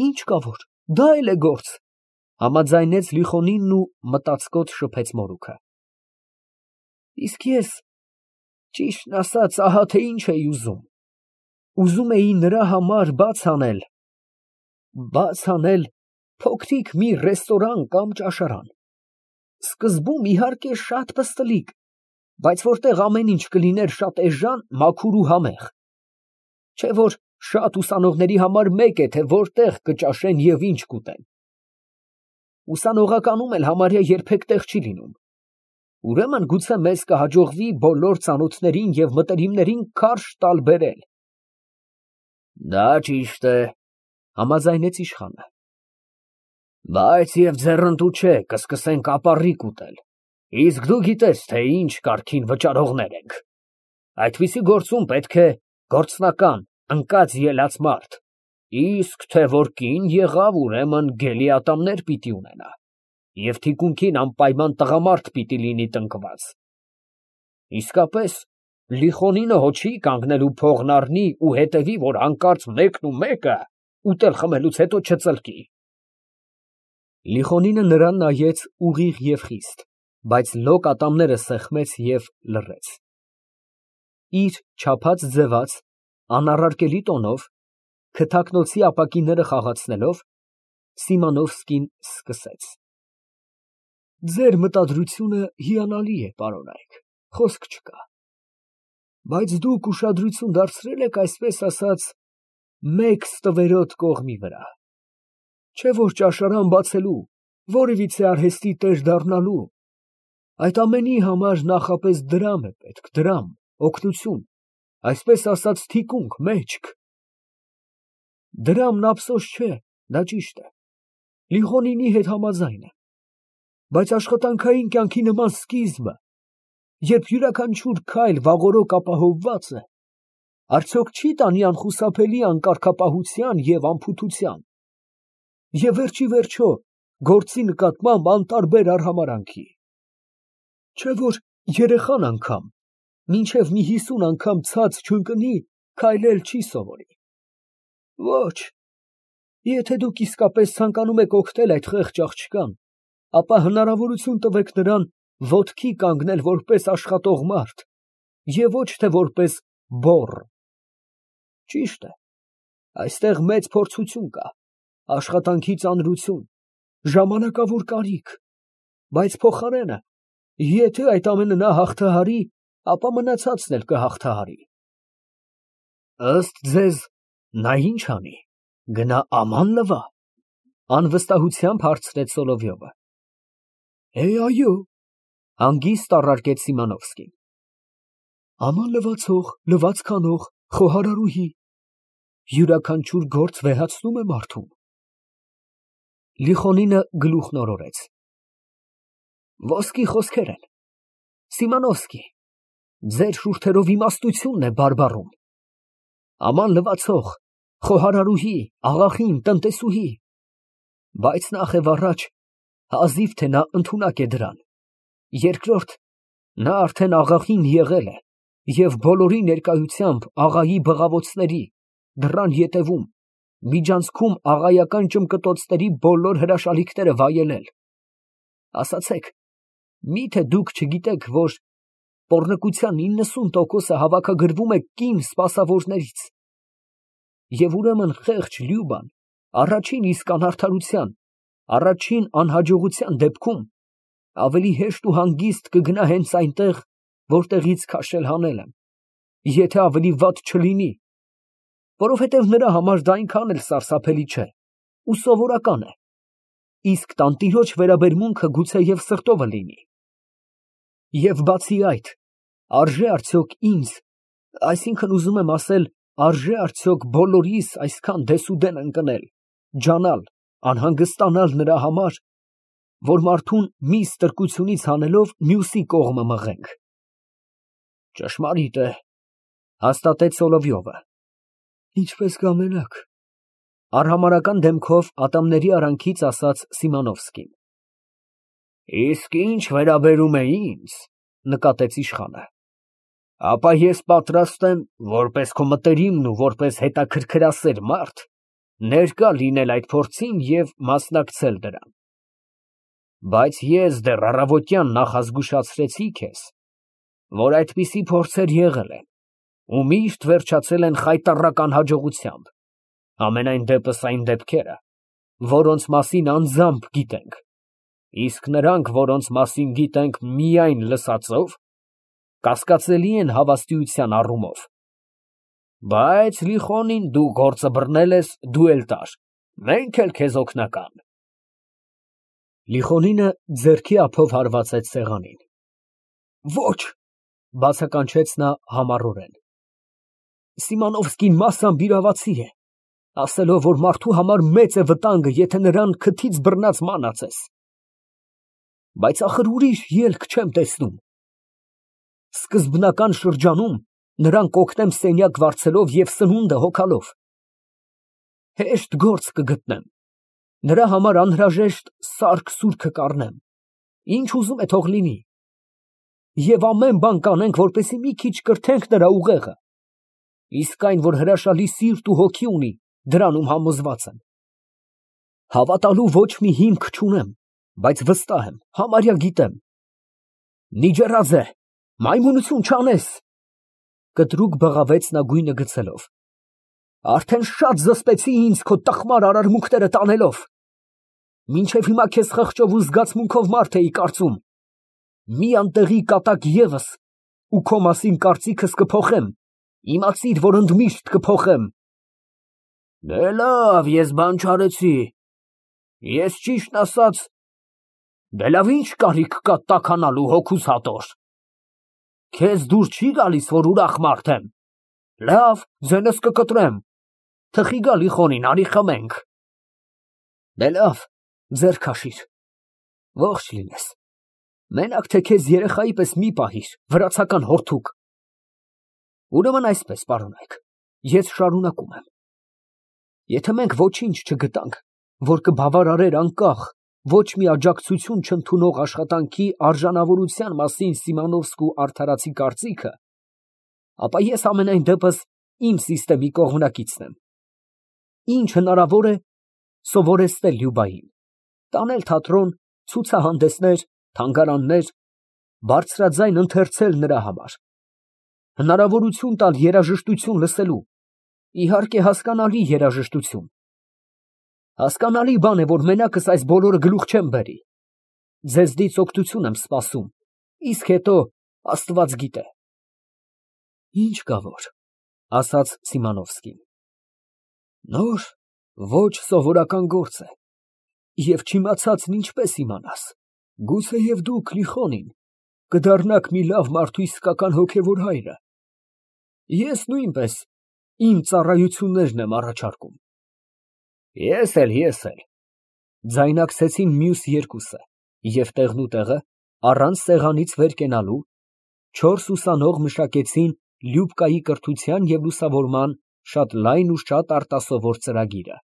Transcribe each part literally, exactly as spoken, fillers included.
Ինչ կա որ, դա էլ է գործ, համաձայնեց Լիխոնինն ու մտածկոտ շփեց մորուքը։ Իսկ ես, ճիշտն ասած, ահա թե ինչ էի ուզում, ուզում էի նրա համար բաց անել, բաց անել փոքրիկ մի ռեստորան կամ ճաշարան, սկզբում իհարկե շատ պստլիկ, բայց որտեղ ամեն ինչ կլիներ շատ էժան, մաքուր ու համեղ, չէ որ շատ ուսանողների համար մեկ է, թե որտեղ կճաշեն և ինչ կուտեն։ Ուսանողականում էլ համարյա երբեք տեղ չի լինում։ Ուրեմն գուցե մեզ կհաջողվի բոլոր ծանոթներին և մտերիմներին քարշ տալ բերել։ Դա ճիշտ է, համաձայնեց իշխանը։ Բայց և ձեռնտու չէ, կսկսենք ապառիկ ուտել, իսկ դու գիտես, թե ինչ կարգին վճարողներ ենք։ Այդպիսի գործում պետք է գործնական, ընկած ելած մարդ, իսկ թե որ կին եղավ, ուրեմն գելի ատամներ պիտի ունենա, և թիկունքին անպայման տղամարդ պիտի լինի տնկված։ Իսկապես, Լիխոնինը հո չի կանգնելու փողն առնի ու հետևի, որ հանկարծ մեկն ու մեկը ուտել խմելուց հետո չծլկի։ Լիխոնինը նրան նայեց ուղիղ և խիստ, բայց լոկ ատամները սեղմեց և լռեց։ Իր չափած ձևած, անառարկելի տոնով, քթակնոցի ապակիները խաղացնելով, Սիմոնովսկին սկսեց. Ձեր մտադրությունը հիանալի է, պարոնայք, խոսք չկա, բայց դուք ուշադրություն դարձրել եք, այսպես ասած, մեկ ստվերոտ կողմի վրա, չէ որ ճաշարան բացելու, որևիցե արհեստի տեր դառնալու, այդ ամենի համար նախապես դրամ է պետք, դրամ, օգնություն, այսպես ասած թիկունք, մեջք։ Դրամն ափսոս չէ, դա ճիշտ է, Լիխոնինի հետ համաձայն եմ, բայց աշխատանքային կյանքի նման սկիզբը, երբ յուրաքանչյուր քայլ վաղօրոք ապահովված է, արդյոք չի տանի անխուսափելի անկարգապահության և անփութության, և վերջ ի վերջո գործի նկատմամբ անտարբեր արհամարհանքի, չէ որ երեխան անգամ, մինչև մի հիսուն անգամ ցած չընկնի, քայլել չի սովորի։ Ոչ, եթե դուք իսկապես ցանկանում եք օգնել այդ խեղճ աղջկան, ապա հնարավորություն տվեք նրան ոտքի կանգնել որպես աշխատող մարդ և ոչ թե որպես բոռ։ Ճիշտ է, այստեղ մեծ փորձություն կա, աշխատանքի ծանրություն, ժամանակավոր կարիք, բայց փոխարենը, եթե այդ ամենը նա հաղթահարի, ապա մնացածն էլ կհաղթահարի։ Ըստ ձեզ, նա ինչ անի, գնա աման լվա, անվստահությամբ հարցրեց Սոլովյովը։ Է, այո, հանգիստ առարկեց Սիմոնովսկին։ Աման լվացող, լվացք անող, խոհարարուհի, յուրաքանչյուր գործ վեհացնում է մարդուն։ Լիխոնինը գլուխն օրորեց։ Ոսկի խոսքեր են, Սիմոնովսկի, ձեր շուրթերով իմաստությունն է բարբառում։ Աման լվացող, խոհարարուհի, աղախին, տնտեսուհի, բայց նախ և առաջ հազիվ թե նա ընդունակ է դրան, երկրորդ, նա արդեն աղախին եղել է և բոլորի ներկայությամբ աղայի բղավոցների, դռան ետևում, միջանցքում աղայական ճմկտոցների բոլոր հրաշալիքները վայելել։ Ասացեք, միթե դուք չգիտեք, որ պոռնկության իննսուն տոկոսը հավաքագրվում է կին սպասավորներից, և ուրեմն խեղճ Լյուբան առաջին իսկ անարդարության, առաջին անհաջողության դեպքում ավելի հեշտ ու հանգիստ կգնա հենց այնտեղ, որտեղից քաշել հանել եմ, եթե ավելի վատ չլինի, որովհետև նրա համար դա այնքան էլ սարսափելի չէ ու սովորական է, իսկ տանտիրոջ վերաբերմունքը գուցեև սրտովը լինի։ Եվ բացի այդ, արժե արդյոք ինձ, այսինքն ուզում եմ ասել, արժե արդյոք բոլորիս այսքան դեսուդեն ընկնել, ջանալ, անհանգստանալ նրա համար, որ մարդուն մի ստրկությունից հանելով մյուսի կողմը մղենք։ Ճշմարիտ է, հաստատեց Սոլովյովը։ Ինչպես կամենաք, արհամարհական դեմքով ատամների արանքից ասաց Սիմոնովսկին։ Իսկ ինչ վերաբերում է ինձ, նկատեց իշխանը, ապա ես պատրաստ եմ, որպես քո մտերիմն ու որպես հետաքրքրասեր մարդ, ներկա լինել այդ փորձին և մասնակցել դրան։ Բայց ես դեռ առավոտյան նախազգուշացրեցի քեզ, որ այդպիսի փորձեր եղել են ու միշտ վերջացել են խայտառական հաջողությամբ, համենայն դեպս այն դեպքերը, որոնց մասին անձամբ գիտենք, իսկ նրանք, որոնց մասին գիտենք միայն լսածով, կասկածելի են հավաստիության առումով։ Բայց Լիխոնին դու գործը բռնել ես, դու էլ տար, մենք էլ քեզ օգնական։ Լիխոնինը ձեռքի ափով հարվածեց սեղանին։ Ոչ, բացականչեց նա համառորեն։ Սիմոնովսկին մասամբ իրավացի է, ասելով, որ մարդու համար մեծ է վտանգը, եթե նրան քթից բռնած մանած ես։ Բայց ախր ուրիշ ելք չեմ տեսնում։ Սկզբնական շրջանում նրան կօգնեմ սենյակ վարձելով և սնունդը հոգալով։ Հեշտ գործ կգտնեմ, նրա համար անհրաժեշտ սարք֊սուրքը կառնեմ, ինչ ուզում է թող լինի, և ամեն բան կանենք, որպեսզի մի քիչ կրթենք նրա ուղեղը, իսկ այն, որ հրաշալի սիրտ ու հոգի ունի, դրանում համոզված եմ։ Հավատալու ոչ մի հիմք չունեմ, բայց վստահ եմ, համարյա գիտեմ։ Նիջեռաձե, մայմունություն չանես, կտրուկ բղավեց նա գույնը գցելով, արդեն շատ զսպեցի ինձ քո տխմար արարմունքները տանելով, մինչև հիմա քեզ խղճով ու զգացմունքով մարդ էի կարծում, մի անտեղի կատակ ևս ու քո մասին կարծիքս կփոխեմ, իմացիր, որ ընդմիշտ կփոխեմ։ Դե լավ, ես բան չարեցի, ես ճիշտն ասած, դե լավ ինչ կարիք կա տաքանալու հոգուս հատոր։ Քեզ դուր չի գալիս, որ ուրախ մարդ եմ, լավ, ձենս կկտրեմ, թխի գա Լիխոնին, արի խմենք։ Դե լավ, ձեռ քաշիր, ողջ լինես, մենակ թե քեզ երեխայի պես մի պահիր, վրացական հորթուկ։ Ուրեմն այսպես, պարոնայք, ես շարունակում եմ։ Եթե մենք ոչինչ չգտանք, որ կբավարարեր անկախ, ոչ մի աջակցություն չընդունող աշխատանքի արժանավորության մասին Սիմոնովսկու արդարացի կարծիքը, ապա ես ամենայն դեպս իմ սիստեմի կողմնակիցն եմ։ Ինչ հնարավոր է, սովորեցնել Լյուբային, տանել թատրոն, ցուցահանդեսներ, թանգարաններ, բարձրաձայն ընթերցել նրա համար, հնարավորություն տալ երաժշտություն լսելու, իհարկե հասկանալի երաժշտություն։ Հասկանալի բան է, որ մենակս այս բոլորը գլուխ չեմ բերի, ձեզնից օգնություն եմ սպասում, իսկ հետո Աստված գիտե։ Ինչ կա որ, ասաց Սիմոնովսկին, նոր, ոչ սովորական գործ է, և չիմացածն ինչպես իմանաս, գուցեև դուք, Լիխոնին, կդառնաք մի լավ մարդու իսկական հոգևոր հայրը, ես նույնպես իմ ծառայություններն եմ առաջարկում։ Ես էլ, ես էլ, ձայնակցեցին մյուս երկուսը, և տեղնուտեղը, առանց սեղանից վեր կենալու, չորս ուսանող մշակեցին Լյուբկայի կրթության և լուսավորման շատ լայն ու շատ արտասովոր ծրագիրը։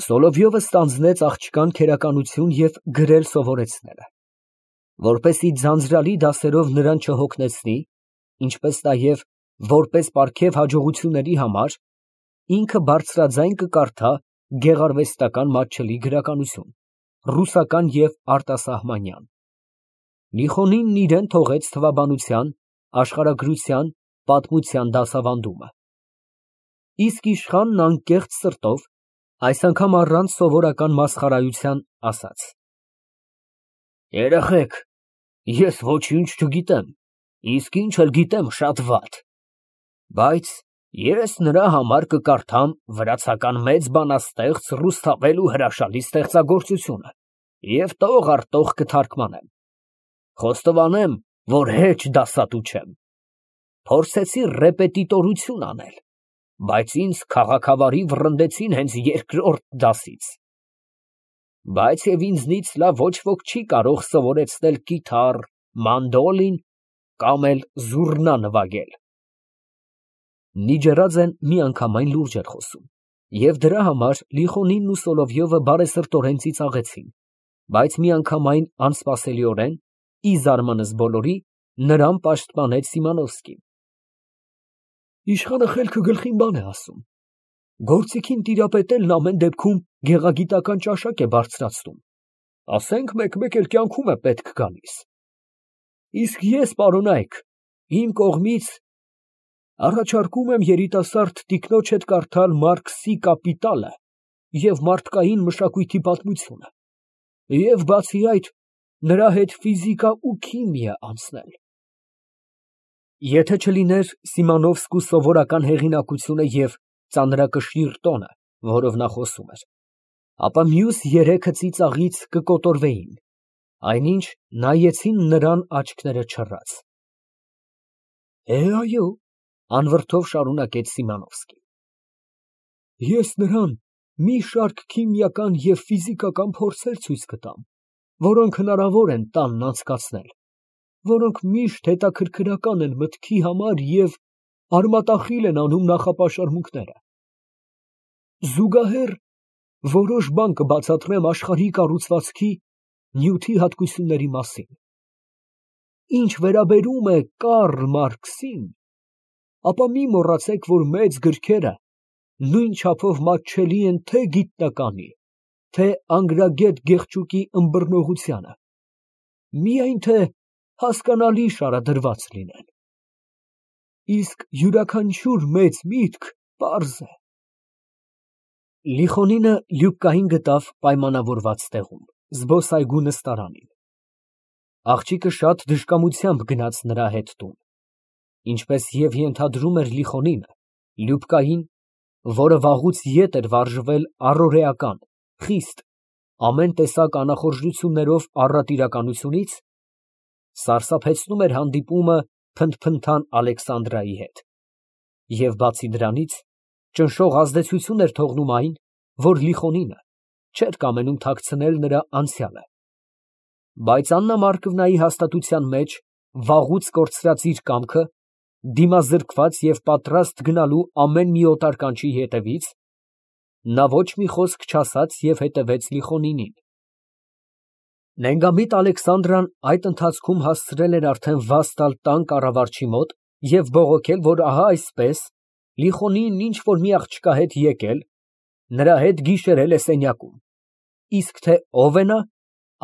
Սոլովյովը ստանձնեց աղջկան քերականություն և գրել սովորեցնելը, որպեսզի ձանձրալի դասերով նրան չհոգնեցնի, ինչպես նաև, որպես պարգև հաջողությունների համար, ինքը բարձրաձայն կկարդա գեղարվեստական մատչելի գրականություն, ռուսական և արտասահմանյան։ Լիխոնինն իրան թողեց թվաբանության, աշխարհագրության, պատմության դասավանդումը։ Իսկ իշխանն անկեղծ սրտով, այս անգամ առանց սովորական մասխարայության, ասաց. Երեխեք, ես ոչինչ չգիտեմ, իսկ ինչ էլ գիտեմ շատ վատ, բայց ես նրա համար կկարդամ վրացական մեծ բանաստեղծ Ռուսթավելու հրաշալի ստեղծագործությունը և տող առ տող կթարգմանեմ, խոստովանեմ, որ հեչ դասատու չեմ, փորձեցի ռեպետիտորություն անել, բայց ինձ քաղաքավարի վռնդեցին հենց երկրորդ դասից, բայց և ինձնից լավ ոչ ոք չի կարող սովորեցնել կիթառ, մանդոլին կամ էլ զուռնա նվագել։ Նիջեռաձեն միանգամայն լուրջ էր խոսում, և դրա համար Լիխոնինն ու Սոլովյովը բարեսրտորեն ծիծաղեցին, բայց միանգամայն անսպասելիորեն, ի զարմանս բոլորի, նրան պաշտպանեց Սիմոնովսկին։ Իշխանը խելքը գլխին բան է ասում, Գործիքին տիրապետելն ամեն դեպքում գեղագիտական ճաշակ է բարձրացնում, ասենք մեկ֊մեկ էլ կյանքում է պետք գալիս։ Իսկ ես, պարոնայք, իմ կողմից առաջարկում եմ երիտասարդ տիկնոջդ կարդալ Մարքսի «Կապիտալը» և մարդկային մշակույթի պատմությունը, և բացի այդ, նրա հետ ֆիզիկա ու քիմիա անցնել։ Եթե չլիներ Սիմոնովսկու սովորական հեղինակությունը և ծանրակշիռ տոնը, որով նա խոսում էր, ապա մյուս երեքը ծիծաղից կկոտորվեին, այնինչ նայեցին նրան աչքները չռած։ Է, այո, անվրդով շարունակեց Սիմոնովսկին, ես նրան մի շարք քիմիական և ֆիզիկական փորձեր ցույց կտամ, որոնք հնարավոր են տանն անցկացնել, որոնք միշտ հետաքրքրական են մտքի համար և արմատախիլ են անում նախապաշարմունքները։ Զուգահեռ որոշ բան կբացատրեմ աշխարհի կառուցվածքի, նյութի հատկությունների մասին։ Ինչ վերաբերում է Կարլ Մարքսին, ապա մի մոռացեք, որ մեծ գրքերը նույն չափով մատչելի են թե գիտնականի, թե անգրագետ Գեղչուկի ըմբռնողությանը, միայն թե հասկանալի շարադրված լինեն։ Իսկ յուրաքանչյուր մեծ միտք պարզ է։ Լիխոնինը Լյուբկային գտավ պայմանավորված տեղում, զբոսայգու նստարանին։ Աղջիկը շատ դժկամությամբ գնաց նրա հետ տուն։ Ինչպես և ենթադրում էր Լիխոնինը, Լյուբկային, որը վաղուց ետ էր վարժվել առօրեական, խիստ, ամեն տեսակ անախորժություններով առատիրականությունից, սարսափեցնում էր հանդիպումը փնթփնթան Ալեքսանդրայի հետ, և բացի դրանից, ճնշող ազդեցություն էր թողնում այն, որ Լիխոնինը չէր կամենում թաքցնել նրա անցյալը, բայց Աննա Մարկվնայի հաստատության մեջ վաղուց կորցրած իր կամքը, դիմազրկված և պատրաստ գնալու ամեն մի օտար կանչի հետևից, նա ոչ մի խոսք չասաց և հետևեց Լիխոնինին։ Նենգամիտ Ալեքսանդրան այդ ընթացքում հասցրել էր արդեն վազ տալ տան կառավարչի մոտ և բողոքել, որ ահա այսպես, Լիխոնին ինչ֊որ մի աղջկա հետ եկել, նրա հետ գիշերել է սենյակում, իսկ թե ով է նա,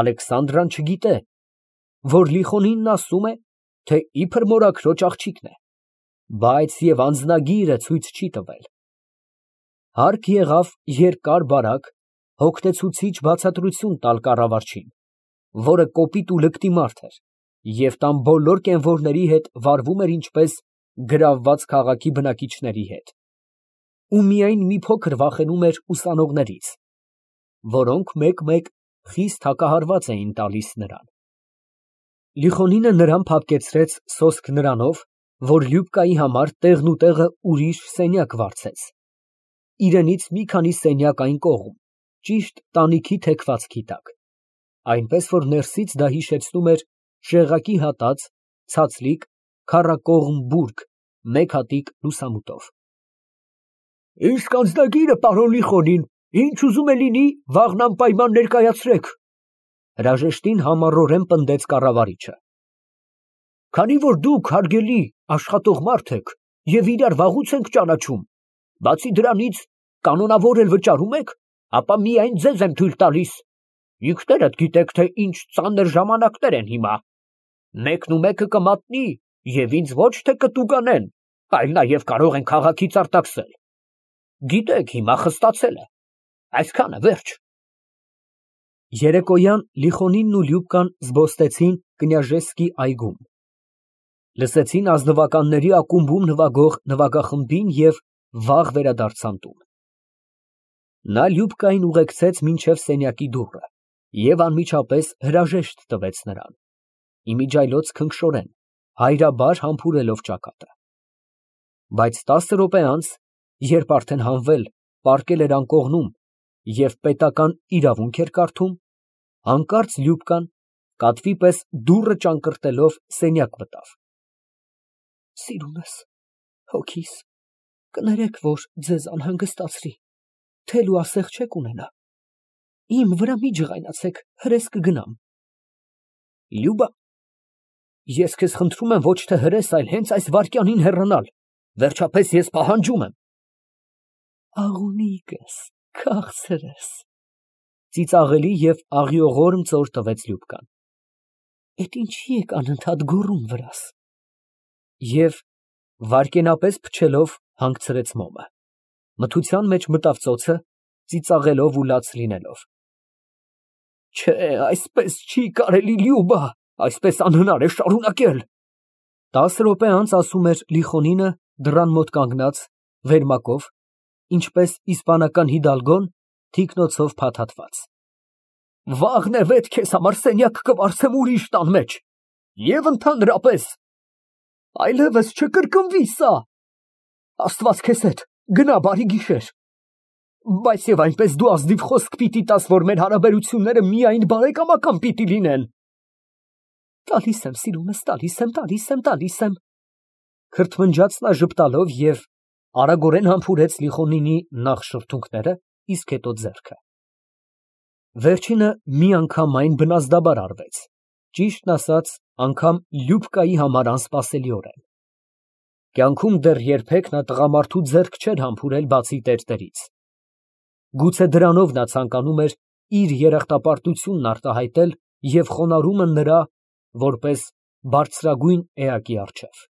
Ալեքսանդրան չգիտե, որ Լիխոնինն ասում է, թե իբր մորաքրոջ աղջիկն է, բայց և անձնագիրը ցույց չի տվել։ Հարկ եղավ երկար֊բարակ, հոգնեցուցիչ բացատրություն տալ կառավարչին, որը կոպիտ ու լկտի մարդ էր և տան բոլոր կենվորների հետ վարվում էր ինչպես գրավված քաղաքի բնակիչների հետ, ու միայն մի փոքր վախենում էր ուսանողներից, որոնք մեկ֊մեկ խիստ հակահարված էին տալիս նրան։ Լիխոնինը նրան փափկեցրեց սոսկ նրանով, որ Լյուբկայի համար տեղնուտեղը ուրիշ սենյակ վարձեց, իրենից մի քանի սենյակ այն կողմ, ճիշտ տանիքի թեքվածքի տակ, այնպես որ ներսից դա հիշեցնում էր շեղակի հատած, ցածլիկ, քառակողմ բուրգ մեկ հատիկ լուսամուտով։ Իսկ անձնագիրը, պարոն Լիխոնին, ինչ ուզում է լինի, վաղն անպայման ներկայացրեք, հրաժեշտին համառորեն պնդեց կառավարիչը։ Քանի որ դուք, հարգելի, աշխատող մարդ եք և իրար վաղուց ենք ճանաչում, բացի դրանից, կանոնավոր էլ վճարում եք, ապա միայն ձեզ եմ թույլ տալիս, ինքներդ գիտեք, թե ինչ ծանր ժամանակներ են հիմա, մեկն ու մեկը կմատնի և ինձ ոչ թե կտուգանեն, այլ նաև կարող են քաղաքից արտաքսել, գիտեք, հիմա խստացել է, այսքանը, վերջ։ Երեկոյան Լիխոնինն ու Լյուբկան զբոստեցին Կնյաժեսկի այգում, լսեցին ազնվականների ակումբում նվագող նվագախմբին և վաղ վերադարձան տուն։ Նա Լյուբկային ուղեկցեց մինչև սենյակի դուռը և անմիջապես հրաժեշտ տվեց նրան, իմիջիայլոց քնքշորեն, հայրաբար համբուրելով ճակատը։ Բայց տասը րոպե անց, երբ արդեն հանվել, պառկել էր անկողնում և պետական իրավունք էր կարդում, հանկարծ Լյուբկան, կատվի պես դուռը ճանկռտելով, սենյակ մտավ։ Սիրունս, հոգիս, կներեք, որ ձեզ անհանգստացրի, թել ու ասեղ չեք ունենա, իմ վրա մի ջղայնացեք, հրես կգնամ։ Լյուբա, ես քեզ խնդրում եմ ոչ թե հրես, այլ հենց այս վայրկյանին հեռանալ, վերջապես ես պահանջում եմ։ Աղունիկս, քաղցրս, ծիծաղելի և աղիողորմ ծոր տվեց Լյուբկան։ Էդ ինչի եք անընդհատ գոռում վրաս։ Եվ վայրկենապես փչելով հանգցրեց մոմը, մթության մեջ մտավ ծոցը, ծիծաղելով ու լաց լինելով։ Չէ, այսպես չի կարելի, Լյուբա, այսպես անհնար է շարունակել։ Տասը րոպե անց ասում էր Լիխոնինը դռան մոտ կանգնած, վերմակով, ինչպես իսպանական հիդալգոն, թիկնոցով փաթաթված։ Վաղն է վետ քեզ համար սենյակ կվարձեմ ուրիշ տան մեջ, և ընդհանրապես, այլևս չկրկնվի սա։ Աստված քեզ հետ, գնա, բարի գիշեր։ Բայց և այնպես դու ազնիվ խոսք պիտի տաս, որ մեր հարաբերությունները միայն բարեկամական պիտի լինեն։ Տալիս եմ, սիրունս, տալիս եմ, տալիս եմ, տալիս եմ, քրթմնջաց նա ժպտալով և արագորեն համբուրեց Լիխոնինի նախ շրթունքները, իսկ հետո ձեռքը։ Վերջինը միանգամայն բնազդաբար արվեց, ճիշտն ասած, անգամ Լյուբկայի համար անսպասելիորեն։ Կյանքում դեռ երբեք նա տղամարդու ձեռք չէր համբուրել, բացի տերտերից։ Գուցե դրանով նա ցանկանում էր իր երախտապարտությունն արտահայտել և խոնարհումը նրա, որպես բարձրագույն էակի առջև։